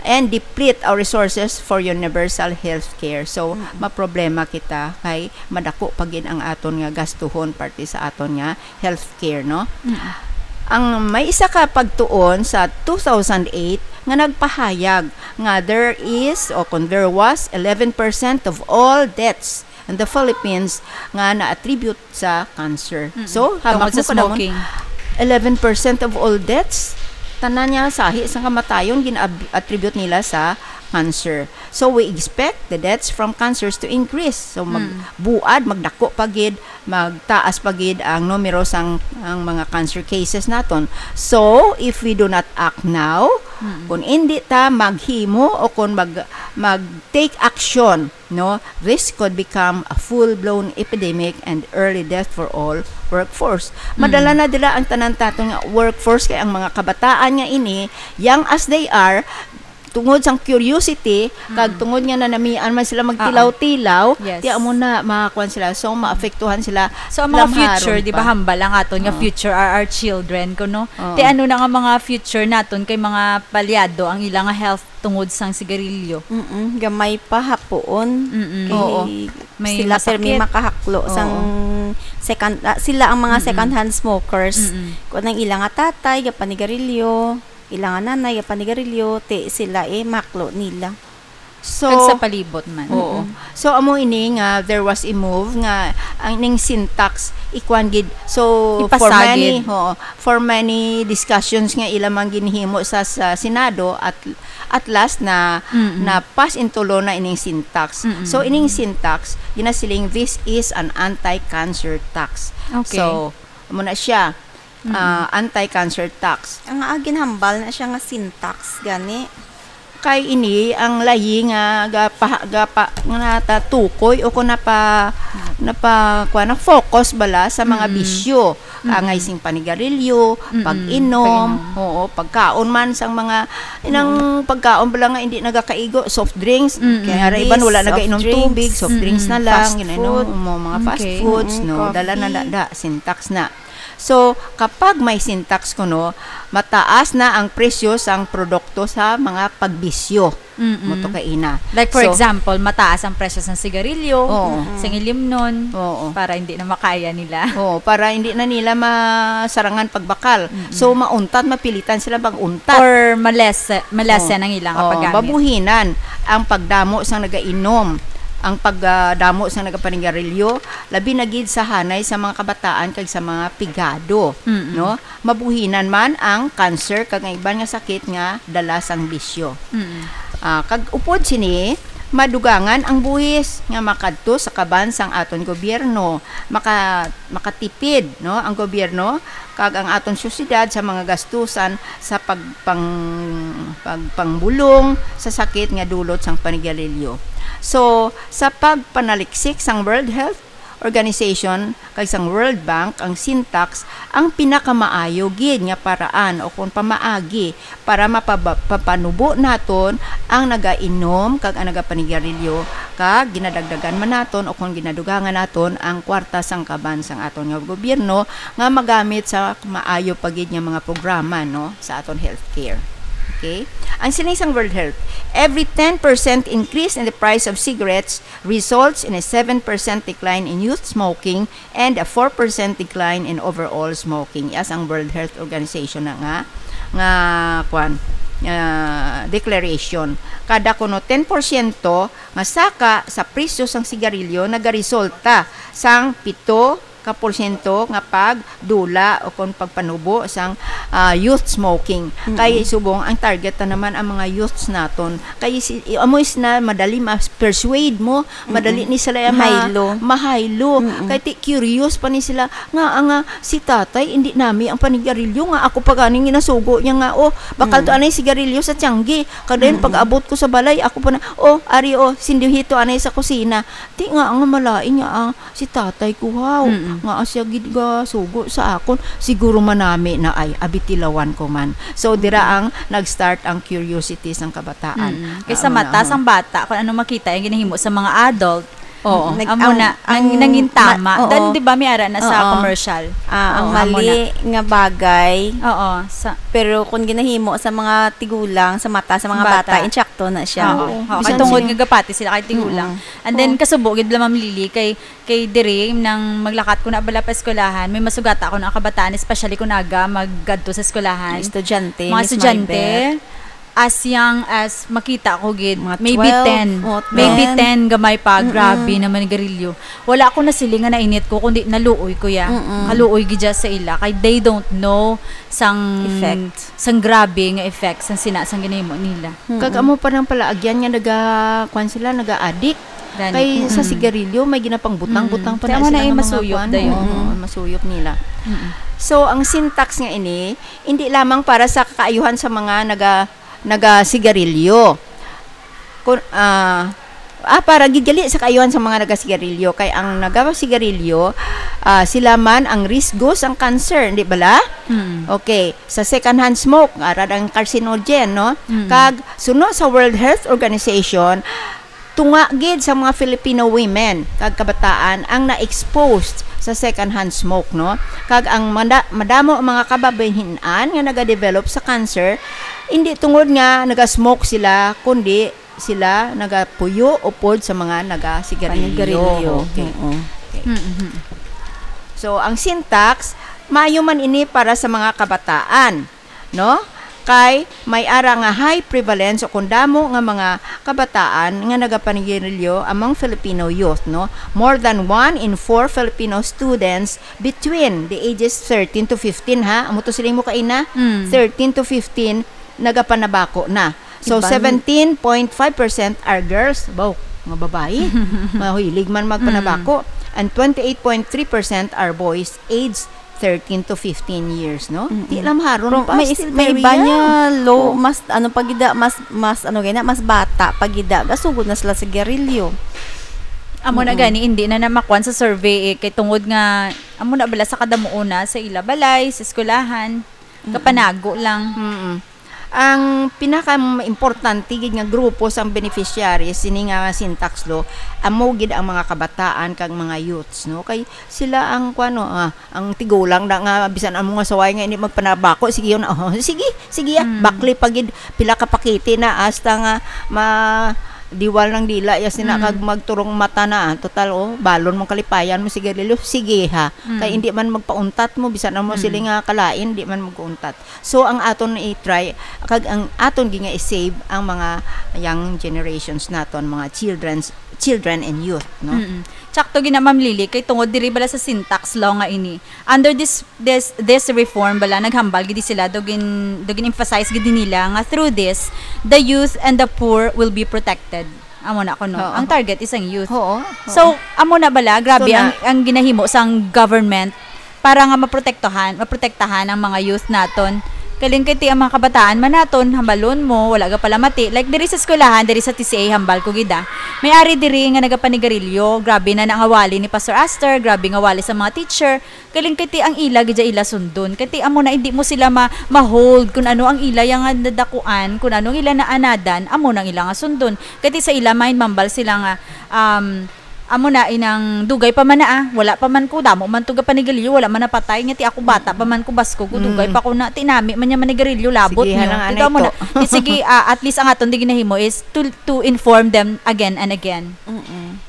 and deplete our resources for universal healthcare. So, Mm. maproblema kita kay madako pa gid ang aton nga gastuhon parte sa aton nga healthcare, no? Mm. Ang may isa ka pagtuon sa two thousand eight nga nagpahayag nga there is, o kung there was, eleven percent of all deaths in the Philippines nga na-attribute sa cancer. Mm. So, Tungod hamak sa mo kadamon, smoking. eleven percent of all deaths, tanan niya sahi sa kamatayon gin-ab-, attribute nila sa cancer. So, we expect the deaths from cancers to increase. So, mag-, Mm. buad, magdako pa gid, magtaas pa gid ang numero sang, ang mga cancer cases naton. So, if we do not act now, Mm. kung hindi ta maghimo o kung mag, mag-take action, no, this could become a full-blown epidemic and early death for all workforce. Mm. Madala na dira ang tanan taton nga workforce, kay ang mga kabataan nga ini, young as they are, tungod sang curiosity, kag Mm. tungod nga nanamian man sila magtilaw-tilaw, Oo. Yes. ti amo na makakuan sila. So, maapektuhan sila. So, ang mga lamharon future, di ba, pa. hambal ang aton nga Oo. future are our children, kuno? Oo. Ti ano na nga mga future naton kay mga palyado ang ila nga health tungod sang sigarilyo? Mm-mm. Gamay pa hapoon. Mm-mm. Kay Oo. May sila masakit. permi makahaklo Oo. sang second, ah, sila ang mga Mm-mm. second-hand smokers. Mm-mm. Kung ang ila nga tatay, gapanigarilyo, ila nga nanay, gapanigarilyo, ti sila, eh, mahaklo nila. So, Kag sa palibot man. Oo. So, amo ini nga there was a move nga ang ning sin tax ikuan gid. So, for Ipasagid. many, oo, for many discussions nga ila man ginhimo sa, sa Senado, at at last na Mm-mm. na pass into law na ining sin tax. Mm-mm. So, ining sin tax, ginasiling, this is an anti-cancer tax. Okay. So, amo na siya, Mm-mm. ah, anti-cancer tax. Ang ginhambal na siya nga sin tax gani. Kay ini ang layi nga gapa, gapa, nga natatukoy o kung napa, napa, kuwan, na focus bala sa mga Mm-mm. bisyo. Mm-mm. Angay sing panigarilyo, Mm-mm. pag-inom, Pag-inom. Oo, pagkaon man sang mga, inang pagkaon bala nga hindi nagakaigo, soft drinks. Mm-mm. Kaya ra iban wala Candies, nagainom soft drinks, tubig, soft drinks mm-mm, na lang, fast ginainom food. mo, mga fast Okay. foods, Mm-mm, no, dala na da, coffee. da, sin tax na. So, kapag may sin tax kuno, mataas na ang presyo sang produkto sa mga pagbisyo. Mm-mm. Mo to kaina. Like, for So, example, mataas ang presyo sa sigarilyo, Oo. sa ilimnon, Oo. para hindi na makaya nila. Oo, para hindi na nila masarangan pagbakal. Mm-mm. So, mauntat, mapilitan sila mag-untat. Or malese, malese Oo. ang ilang Oo, paggamit. Mabuhinan ang pagdamo sang nagainom, ang pagdamo sang nagapanigarilyo, labi na gid sa hanay sa mga kabataan kag sa mga pigado, Mm-mm. no? Mabuhinan man ang cancer kag ang iban nga sakit nga dala sang bisyo. Mm-mm. Ah, kag upod sini, madugangan ang buhis nga makadto sa kaban sang aton gobyerno. Maka-, makatipid, no, ang gobyerno kag ang aton sosyedad sa mga gastusan sa pagpang-, pagpangbulong sa sakit nga dulot sang panigarilyo. So, sa pagpanaliksik sang World Health Organization kag sang World Bank, ang sin tax ang pinakamaayo gid nga paraan o kon pamaagi para mapaba-, mapapanubo naton ang nagainom kag ang nagapanigarilyo, kag ginadagdagan man naton o kon ginadugangan naton ang kwarta sang kaban sang aton nga gobyerno nga magamit sa maayo pa gid nga mga programa, no, sa aton healthcare. Okay? Ang siling sang World Health, every ten percent increase in the price of cigarettes results in a seven percent decline in youth smoking and a four percent decline in overall smoking. Yes, ang World Health Organization na nga, nga, kwan, ah, declaration. Kada kuno ten porsyento nga saka sa presyo sang sigarilyo nagaresulta sang pito ka porsyento nga pagdula o kon pagpanubo sang, ah, youth smoking. Kay subong ang target na naman ang mga youths naton. Kay si, amo is na madali ma-persuade mo, madali ni sila ma-, Mahaylo. mahaylo. Kay ti curious pa ni sila nga, nga si tatay hindi nami ang panigarilyo nga ako pa ganing ginasugo niya nga, oh, bakal to anay sigarilyo sa tiyanggi. Kag dayon pag-abot ko sa balay, ako pa na, oh, ari, oh, sinduhito anay sa kusina. Ti nga nga malain nga, ah, si tatay ko, haw, Mm-mm. nga siya gid gasugo sa akon. Siguro manami na ay, abitilawan ko man. So, dira ang nag-start ang curiosity sang kabataan. Mm. Kay Ah, sa amo na, mata oh. sang bata, kung ano makita, yung ginahimo sa mga adult, Oo. Nag- amo ang- na, ang nang, nangin tama. ma-, oo. Dan, di ba, may ara na sa Oo. commercial? Ah, ang Oo, amo mali na. nga bagay, Oo. Sa, pero kung ginahimo sa mga tigulang, sa mata, sa mga Bata. bata, insakto na siya. Oo. Oo. Oo. Bisan Katungod sino. nga gapati sila kay tigulang. Mm-mm. And then, kasubo gid la, Ma'am Lily, kay, kay diri, nang maglakat ko na bala pa eskwelahan, may masugata ko na ang kabataan, especially kung aga, maggadto sa eskwelahan. Estudyante, Mga Miss estudyante, Maribeth. As young as makita ko gid, Mga maybe twelve, ten. oh, Maybe ten. ten, gamay pa, Mm-mm. grabe naman ni garilyo. Wala ko na sila nga nainit ko, kundi naluoy ko ya. Mm-mm. Kaluoy gid ya sa ila, kay they don't know sang Effect. sang grabe nga effect sang sina sang ginahimo nila. Mm-mm. Kag amo pa nang palaagyan nga naga, kwan sila, naga-addict. Gani. Kay sa Mm-mm. sigarilyo, may ginapang-butang-butang Mm-mm. pa Kaya na mo sila na nga mga masuyop kwan. dayon. Oo, Mm-mm. masuyop nila. Mm-mm. So, ang sin tax nga ini, hindi lamang para sa kaayuhan sa mga naga, naga-sigarilyo. Kun, ah, ah, para gid gali sa kaayuhan sa mga naga-sigarilyo. Kay ang naga-sigarilyo, ah, sila man ang risgo sang cancer, di bala? Mm. Okay, sa second-hand smoke, ara ang carcinogen, no? Mm. Kag suno sa World Health Organization, tunga gid sa mga Filipino women kag kabataan ang na-exposed sa second-hand smoke, no? Kag ang manda-, madamo ang mga kababayen-an nga nagadevelop sa cancer, hindi tungod nga naga-smoke sila, kundi sila nagapuyo upod sa mga nagasigarilyo. Panigarilyo. Okay. Oo. Okay. Mm-hmm. So, ang sin tax, maayo man ini para sa mga kabataan, no? kay may ara nga high prevalence o kung damo nga mga kabataan nga nagapanigarilyo among Filipino youth, no? More than one in four Filipino students between the ages thirteen to fifteen, ha? Amo to siling mo kaina, Mm. thirteen to fifteen, nagapanabako na. So, Iban- seventeen point five percent are girls. Baw, mga babayi. Mahilig man magpanabako. Mm. And twenty-eight point three percent are boys aged thirteen to fifteen years, no? Mm-mm. Di lang haron Pero pa, may is-, still may very iba niya, young. Lo, Oh. mas, ano, pagida, mas, mas, ano, gina, mas bata, pagida, gasugod na sila sa sigarilyo. Amo na Mm-mm. gani, hindi na namakuan sa survey, eh, kay tungod nga, amo na bala sa kadamuona, sa ila balay, sa eskwelahan, Mm-mm. kapanago lang. Mm-mm. Ang pinaka-importante gid nga grupo sang beneficiaries sini nga Sintax Law, amo gid ang mga kabataan kag mga youths, no? Kay sila ang, kuwano, ah, ang tigulang na nga bisan amo nga saway nga hindi magpanabako, sige yun, oh, sige, sige, ah, Mm. bakli pa gid, pila ka pakete na, hasta nga ma-, diwal ng dila, ya sina Mm. kag magturong mata na, ah. Total, oh, balon mong kalipayan mo, sigarilyo, sige ha. Mm. Kay hindi man magpauntat mo, bisan amo Mm. sila nga kalain, di man magpauntat. So, ang aton i-try, kag ang aton gi nga i-save ang mga young generations naton, mga children's, children and youth, no? Mm-mm. Tsakto gina, Ma'am Lily, kay tungod diri bala sa Sintax Law nga ini. Under this, this, this reform bala, naghambal gid sila, daw gin-, daw gin-emphasize gid nila nga through this, the youth and the poor will be protected. Amo na kuno. Oo. Ang target is ang youth. Oo, oo. So, amo na bala, grabe So, ang, na- ang ginahimo sang government para nga maprotektahan, maprotektahan ang mga youth naton. Kaling kay ti ang mga kabataan man naton, hambalon mo, wala ga pala mati. Like, diri sa eskwelahan, diri sa T C A, hambal ko gid, ah. May ari diri nga nagapanigarilyo, grabe na na nga wali ni Pastor Aster, grabe nga wali sa mga teacher. Kaling kay ti ang ila gid ila sundon. Kay ti amo na hindi mo sila ma-, ma-hold kung ano ang ila yang nadakuan, kung ano ang ila naanadan, amo nang ila nga sundon. Kay ti sa ila mind, mambal sila nga, um, amo na inang dugay pa man na, ah. Wala pa man ko, damo man to gapanigarilyo, wala man napatay, nga ti ako bata pa man ko, basko ko, dugay Mm. pa ko na, ti nami man niya manigarilyo, labot Sige, niyo. hanang Ti anay amo na. to. Ti sige, ah, at least ang aton di ginahimo is to, to inform them again and again. Mm-mm.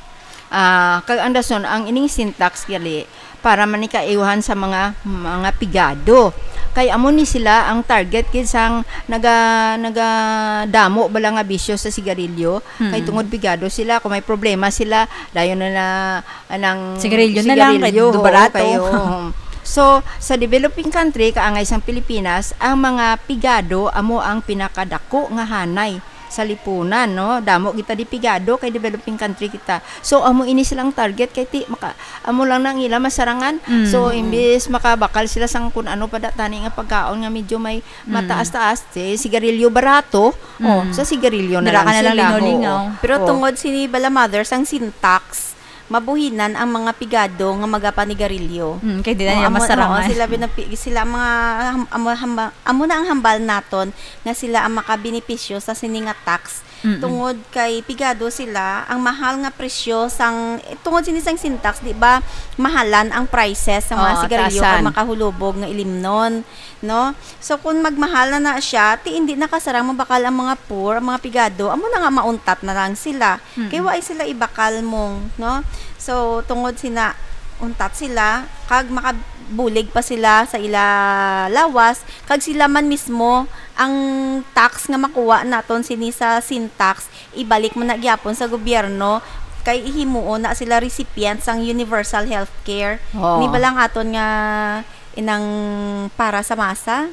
Ah, kag ang rason, ang ining Sintax gali para man ni kaiwahan sa mga, mga pigado. Kay amo ni sila ang target gid sang naga-, nagadamo bala nga bisyo sa sigarilyo. Kay Mm. tungod pigado sila, kung may problema sila, dayon na na, nang Sigarilyo na lang, kay sigarilyo, do oo, barato. kay, oo. So, sa developing country, kaangay sang Pilipinas, ang mga pigado amo ang pinakadako nga hanay sa lipunan, no? Damo kita di pigado kay developing country kita. So, amo ini silang target kay ti-, maka-, amo lang nang ila masarangan. Mm. So, imbis makabakal sila sang kun ano pa da tani nga pagkaon nga medyo may Mm. mataas-taas, ti sigarilyo barato, oh, Mm. sa sigarilyo na Dira lang ka na lang sila. lingaw-lingaw. Oo. Pero Oo. tungod sini bala, mother, sang Sintax, mabuhinan ang mga pigado nga magapanigarilyo. Mm, kay di na Oo, nila amo, masarangan. oo, sila binapi-, sila ang mga ham-, amo, hamba-, amo na ang hambal naton nga sila ang makabenepisyo sa sini nga tax. Mm-mm. Tungod kay pigado sila, ang mahal nga presyo sang, eh, tungod sini sang Sintax, di ba, mahalan ang prices sa mga Oo, sigarilyo kag taasan. makahulubog nga ilimnon, no? So, kung magmahal na na siya, ti hindi na kasarang mabakal ang mga poor, ang mga pigado, amo na nga mauntat na lang sila. Mm-mm. Kay waay sila ibakal mong, no? So, tungod sina untat sila, kag makabulig pa sila sa ila lawas, kag sila man mismo ang tax nga makuha naton sini sa Sintax, ibalik man na gyapon sa gobyerno, kay ihimuon na sila recipient sang universal healthcare. Oo. Ni ba lang aton nga inang para sa masa?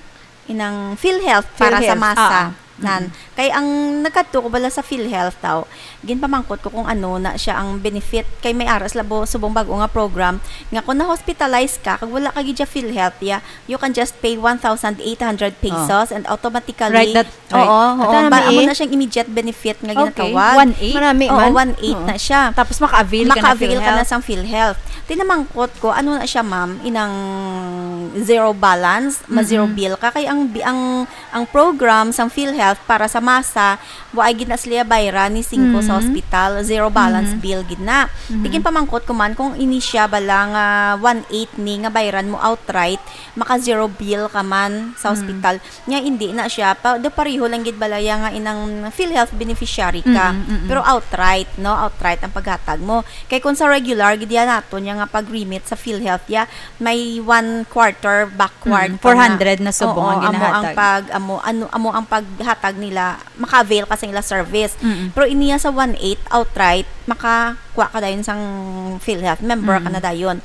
Inang PhilHealth para sa PhilHealth, masa. ah. Nan. Mm-mm. Kay ang nagkadto ko bala sa PhilHealth daw, ginpamangkot ko kung ano na siya ang benefit. Kay may aras labo subong bag-o nga program nga kung na-hospitalize ka, kag wala ka gid siya PhilHealth, ya, you can just pay one thousand eight hundred pesos Oh. and automatically Right, that, right. Oo, oo. Ata, Ba, nami amo eh. na siyang immediate benefit nga Okay. ginatawag. One eight? Marami Oo, man. one eight Oo. na siya. Tapos maka-avail ka na Maka-avail ka na PhilHealth. sang PhilHealth. Tinamangkot ko, ano na siya, ma'am? Inang zero balance, ma-zero Mm-mm. bill ka. Kay ang bi-, ang, ang program sang PhilHealth para sa masa, wa ay gid na sila bayran ni singko Mm. sa hospital, zero balance Mhm. bill gid na. Mhm. Tigin pamangkot ko man kung ini siya bala nga one eighth ni nga bayran mo outright, maka zero bill ka man sa Mm. hospital. Nya hindi na siya pa, do pareho lang gid balaya nga inang PhilHealth beneficiary ka. Mm, mm, mm. Pero outright, no? Outright ang paghatag mo. Kay kung sa regular gid yan naton niya nga pag-remit sa PhilHealth ya, may one quarter backward Mm, ka na. four hundred na subong Oo, ang amo ang ginahatag. pag amo ano amo ang paghatag nila, maka-avail ka sa ila service. Mm. Pero iniya sa one eighth outright, makakuha ka dayon sang PhilHealth, member ka Mm. na dayon.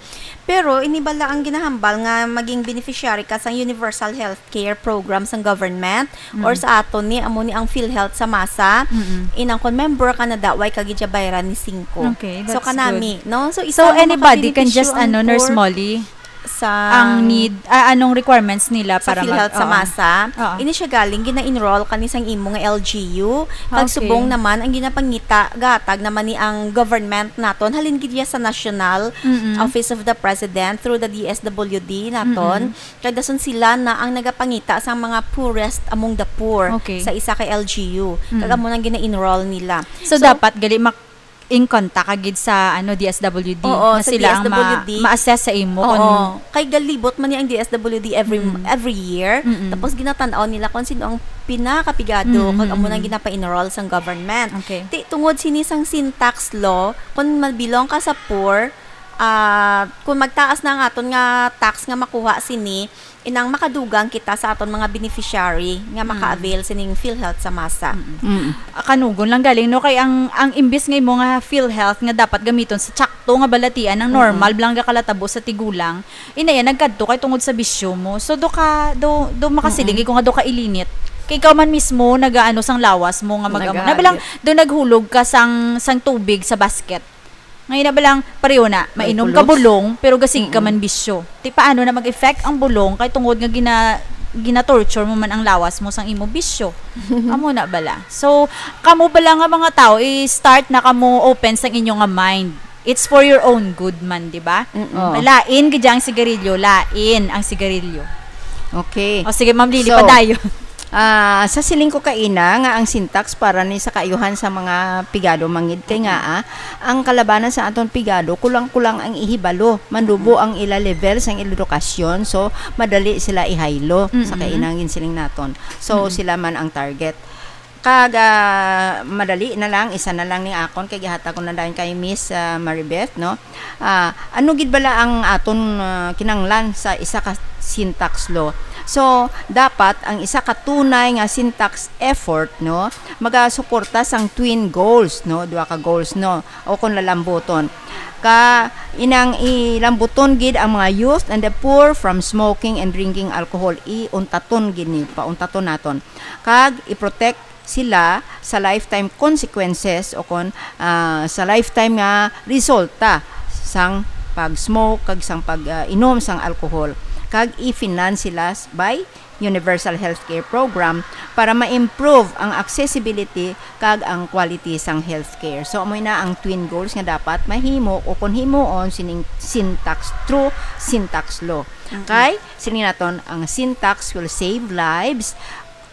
Pero ini bala ang ginahambal nga maging beneficiary ka sang universal health care program sang government or Mm. sa aton ni amo ni ang PhilHealth sa masa. Mm. Inang kon member ka na da, way ka gid siya bayran ni singko. Okay, So that's kanami, no? So, isa So mo anybody can makabenepisyo just ang ano, Nurse poor Molly, sa ang need, ah, anong requirements nila sa para mag PhilHealth sa oo. masa. Oo. Ini siya galing gina-enroll kani sang imo nga L G U. Kag Okay. subong naman ang ginapangita gatag naman ni ang government naton, halin gid ya sa National Mm-mm. Office of the President through the D S W D naton. Mm-mm. Kag dason sila na ang nagapangita sang mga poorest among the poor Okay. sa isa ka L G U. Kag Mm. amo nang gina-enroll nila. So, dapat gali mak in contact ka gid sa ano D S W D Oo, na sa sila ang ma- D S W D. ma-assess sa imo Oo, kung kay galibot man ni ang D S W D every Mm. every year. Mm-mm. Tapos ginatan-aw nila kung sino ang pinakapigado Mm, kag amo mm, nang mm. ginapa-enroll sang government. Okay. Ti, tungod sini sang sin tax law, kung ma-belong ka sa poor, ah, kung magtaas na ang aton nga tax nga makuha sini, inang makadugang kita sa aton mga beneficiary nga Mm. maka-avail sining PhilHealth sa masa. Mm. Ah, kanugon lang galing, no? Kay ang, ang imbis nga imo nga PhilHealth nga dapat gamiton sa tsakto nga balatian, ang Mm. normal lang nga kalatabo sa tigulang, inaya nagkadto kay tungod sa bisyo mo. So, do ka, do, do makasiling Mm-mm. ko nga do ka ilinit. Kay ikaw man mismo, nagaano sang lawas mo nga mag-amo. Nagalit. Na bilang, do naghulog ka sang, sang tubig sa basket. Ngayon na bilang, pareho na, May mainom ka pulos. Bulong, pero gasigi ka Mm-mm. man bisyo. Ti paano na mag-effect ang bulong kay tungod nga gina, gina-torture mo man ang lawas mo sang imo bisyo? Amo na bala. So, kamo bala nga mga tao, i-start na kamo open sang inyo nga mind. It's for your own good man, di ba? Mm-mm. Oh. Lain gid ang sigarilyo, lain ang sigarilyo. Okay. O sige, Ma'am Lily, So, padayon. Ah, sa siling ko kaina nga ang sin tax para ni sa kaayuhan sa mga pigado mangid kay nga ah, ang kalabanan sa aton pigado kulang-kulang ang ihibalo, mandubo ang ila level sang edukasyon, so madali sila ihaylo sa Mm-mm. kaina nga ginsiling naton. So Mm-mm. sila man ang target. Kag ah, madali na lang, isa na lang ni akon kay gihatag ko na dayon kay Miss ah, Maribeth, no? Ah, ano gid bala ang aton ah, kinanglan sa isa ka sin tax law? So, dapat ang isa ka tunay nga sin tax effort, no, magasuporta sang twin goals, no, duha ka goals, no, o kon lalambuton ka inang ilambuton gid ang mga youth and the poor from smoking and drinking alcohol. Iuntaton gid ni, pauntaton naton kag i-protect sila sa lifetime consequences o kon ah, sa lifetime nga resulta sang pag-smoke kag sang pag-inom sang alcohol, kag i-finance sila s- by Universal Healthcare Program para ma-improve ang accessibility kag ang quality sang healthcare. So amo na ang twin goals nga dapat mahimo o kon himuon sining sin tax through sin tax law. Kay sini naton ang sin tax will save lives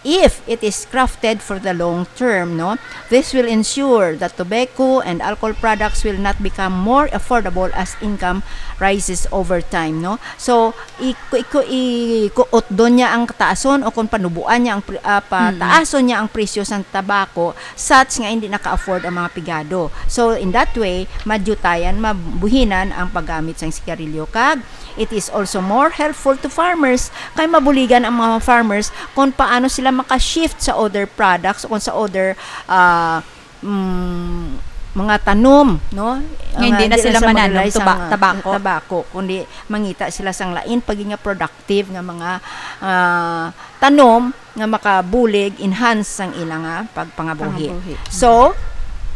if it is crafted for the long term, no? This will ensure that tobacco and alcohol products will not become more affordable as income rises over time, no? So, iku iku ikuot doon niya ang kataason o kung panubuan niya ang pri- ah, pataason niya ang presyo sa tabako such nga hindi naka-afford ang mga pigado. So, in that way, madyutayan, mabuhinan ang paggamit sang sigarilyo kag it is also more helpful to farmers kay mabuligan ang mga farmers kung paano sila maka-shift sa other products o sa other ah, mm, mga tanom, no? Nga hindi na sila lang mananom mag-rely sa tuba- mga tabako. tabako, kundi mangita sila sang lain pag nga productive nga mga ah, tanom nga makabulig, enhance sang ila nga pagpangabuhi. Pangabuhi. So,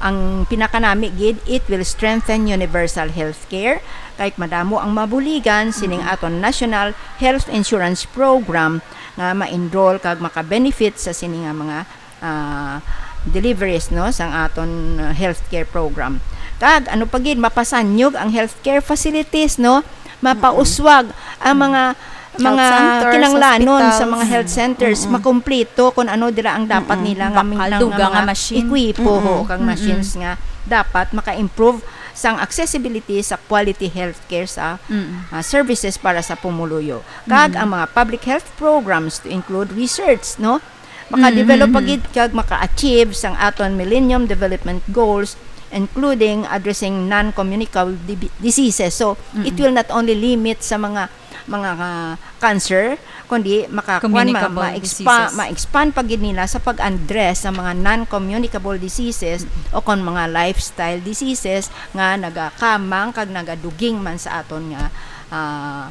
ang pinakanami gid, it will strengthen universal health care. Kay madamo ang mabuligan sining aton National Health Insurance Program nga ma-enroll kag maka-benefit sa sini nga mga ah, deliveries, no, sang aton ah, healthcare program. Kag ano pa gid, mapasanyog ang healthcare facilities, no? Mapauswag ang mga Mga kinanglanon sa mga health centers, makumpleto kung ano dira ang dapat nila nga, bakal, nga dugang nga mga machine, ekwipo, mm-mm, ho, kang machines nga dapat maka-improve sang accessibility sa quality healthcare sa, mm, ah, services para sa pumuluyo. Kag, mm, ang mga public health programs to include research, no? Maka-develop, mm, pa gid kag maka-achieve sang aton Millennium Development Goals, including addressing non-communicable dibi-, diseases. So, it, mm-mm, will not only limit sa mga, mga, ah, cancer, kundi maka-, kuwan, ma-, communicable ma-expa-, diseases, ma-expand pa gid nila sa pag-address sa mga non-communicable diseases, mm-mm, o kon mga lifestyle diseases nga nagakamang kag nagaduging man sa aton nga, ah,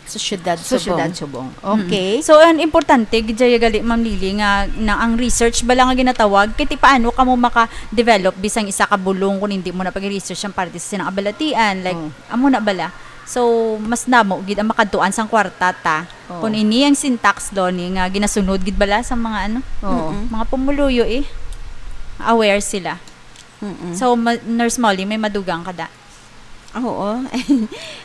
sa syudad, sa syudad Subong. Subong. Mm. Okay. So, ang importante, gid dyan gali, Ma'am Lily, nga na ang research bala nga ginatawag, kay ti paano ka mo maka-develop bisang isa ka bulong kung hindi mo na pag-research ang parte sa sinang kabalatian, like, oh, amo na bala. So, mas namo gid ang makadtuan sang kwarta ta. Oh. Kung ini ang syntax do ni nga ginasunod gid bala sa mga ano, oo, mm-mm, mga pumuluyo, eh. Aware sila. Mm-mm. So, ma-, Nurse Molly, may madugang ka da? Oo.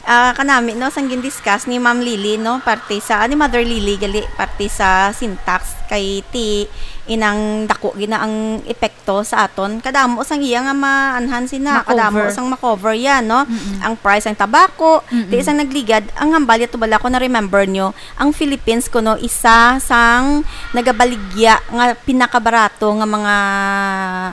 Ah, kanami, no, sang gin-discuss ni Ma'am Lily, no, parte sa, ni Mother Lily, gali, parte sa syntax, kay ti inang dako gina ang epekto sa aton. Kadamo sang iya nga maanhan sina, ma-cover, kadamo sang ma-cover yan, no? Mm-mm. Ang price sang tabako, mm-mm, ti isang nagligad, ang hambal yato bala ko na-remember nyo, ang Philippines kuno isa sang nagabaligya nga pinakabarato nga mga,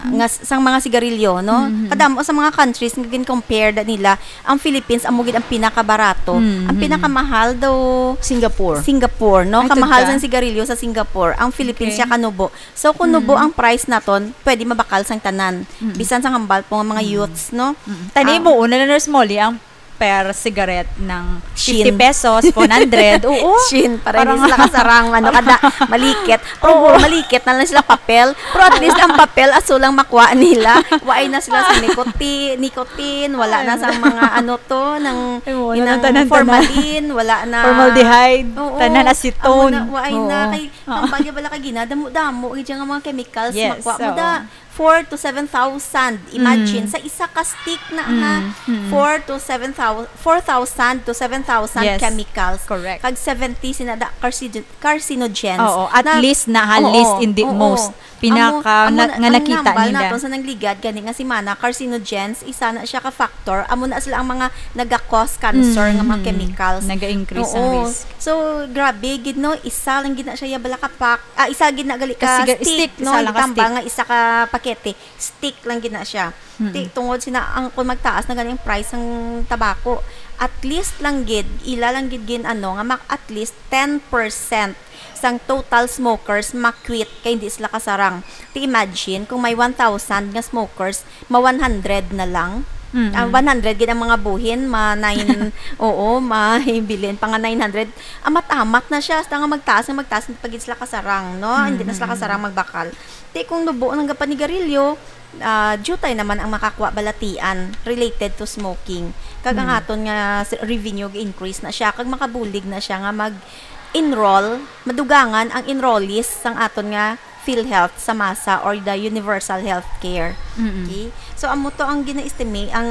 nga s-, sang mga sigarilyo, no? Mhm. Kadamo sa mga countries nga gin-compare da nila, ang Philippines amo gid ang pinakabarato. Mhm. Ang pinakamahal daw Singapore. Singapore, no? Ay, kamahal tudla sang sigarilyo sa Singapore. Ang Philippines, okay, siya kanubo. So, kung nubo, mhm, ang price naton, pwede mabakal sang tanan. Mhm. Bisan sang hambal po nga mga, mhm, youths, no? Mhm. Tani, ah, mo una na, Nurse Molly, ang per cigarette ng fifty pesos, one hundred. Shin. Oo. Shin, para hindi sila kasarang, ano, kada malikit. Pero, oo, malikit na lang sila papel. Pero at least ang papel, aso lang makuha nila. Waay na sila sa nicotine, nicotine, wala na sa mga, ano to, ng, ay, wala na, inang tanan, tanan. Formalin, wala na. Formaldehyde, oo, tanan, acetone. Amo na, waay na. Oo. Kay, ah, ang bagay bala kay gina, damo-damo, gid nga mga chemicals, yes, makuha mo, oo, da. Four to seven thousand. Imagine, mm, sa isa ka stick na, ha, mm, mm, four to seven thousand, four thousand to seven thousand, yes, chemicals. Correct. Kag seventy sina da carcinogen-, carcinogens. Oo, at least na, ha, oo, least in the, oo, most. Pinaka amo, amo na, na, nga ang nakita nambal nila naton sa nangligad gani nga semana, carcinogens, isa na siya ka factor. Amo na sila ang mga naga-cause cancer nga mga, mm, chemicals. Naga-increase ang, oo, risk. So, grabe gid, no? Isa lang gid na siya, ya, bala ka pack. Ah, isa gid na gali ka, kasi ga-, stick, stick, no? Isa lang ka stick. Itambal nga isa ka pakete. Stick lang gid na siya. Mm-mm. Ti-, tungod sina ang, kung magtaas na gani ang price sang tabako, at least lang gid, ila lang gid gin-, ano, nga mak-, at least ten percent sang total smokers ma-quit kay hindi sila kasarang. Ti imagine kung may one thousand nga smokers, ma one hundred na lang. Mm-mm. Ah, one hundred gid ang mga buhin, ma nine, oo, may bilin pa nga nine hundred. Amat-amat na siya, hasta nga magtaas, nga magtaas, hindi pa gid sila kasarang, no? Hindi na sila, mm-mm, kasarang magbakal. Ti kung nubo ang gapanigarilyo, ah, diutay naman ang makakuha balatian related to smoking. Kag ang, mm, aton nga s-, revenue ga-increase na siya, kag makabulig na siya nga mag-enroll, madugangan ang enrollees sang aton nga PhilHealth sa masa or the universal health care. Mm-mm. Okay? So, amo to ang gina-estimate, ang,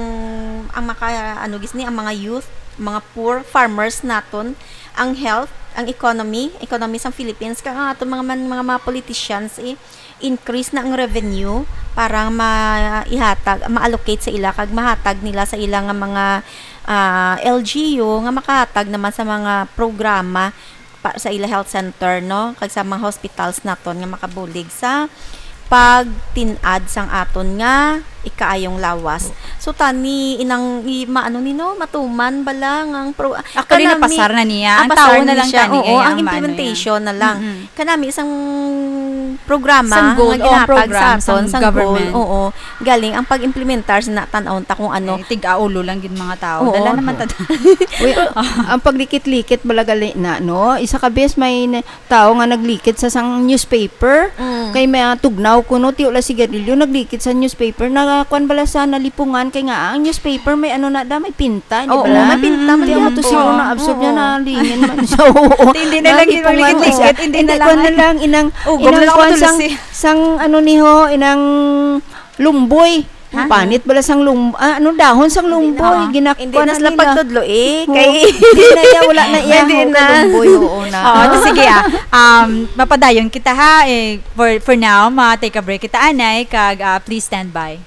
ang maka-, ano, gis ni, ang mga youth, mga poor, farmers naton, ang health, ang economy, economy sang Philippines, kag ang aton mga man-, mga, mga politicians, eh, increase na ang revenue para maihatag, ma-allocate sa ila kag mahatag nila sa ila nga mga, ah, L G U nga makahatag naman sa mga programa pa, sa ila health center, no, kag sa mga hospitals naton nga makabulig sa pagtin-ad sang aton nga ikaayong lawas. So, tani inang i-, maano ni, no, matuman bala nga ang pro-, actually, kanami, napasar na niya. Ah, ang pasar tawo na lang siya. Tani, oo, ay, ang, ang mano implementation niya na lang. Mm-mm. Kanami isang programa, sang goal, nga, oh, ginhatag program sa aton, sang, sang goal, government. Oo. Galing ang pag-implementar sa natan-aw ta kung ano. Ay, tig-aulo lang gid mga tao. Oo. Dala naman ta. Uy, ang paglikit-likit bala gali na, no? Isa ka bes may na-, tao nga naglikit sa sang newspaper. Mm. Kay may, ah, tugnaw kuno, ti wala sigarilyo, naglikit sa newspaper. Nakakuan bala sa nalipungan kay nga ang newspaper may ano na da, may pinta, di bala? Oo, may pinta man. Ti amo to siguro na-absorb niya, nalingin man siya. Oo. Hindi na lang maglikit-likit, hindi na lang. Kuan na lang, inang, ugom na lang kuan sang, sang ano ni ho, inang lumboy. Panit bala sang lum-, ah, ano, dahon sang lumboy, ginakpan Hindi na sila nila. pagtudlo eh. Oo. Kay Hindi na iya, wala na iya Hindi ang na. lumboy, oo na. Oo, so sige ah. Um, mapadayon kita ha. Eh, for, for now, ma-take a break kita, anay, kag ah, please stand by.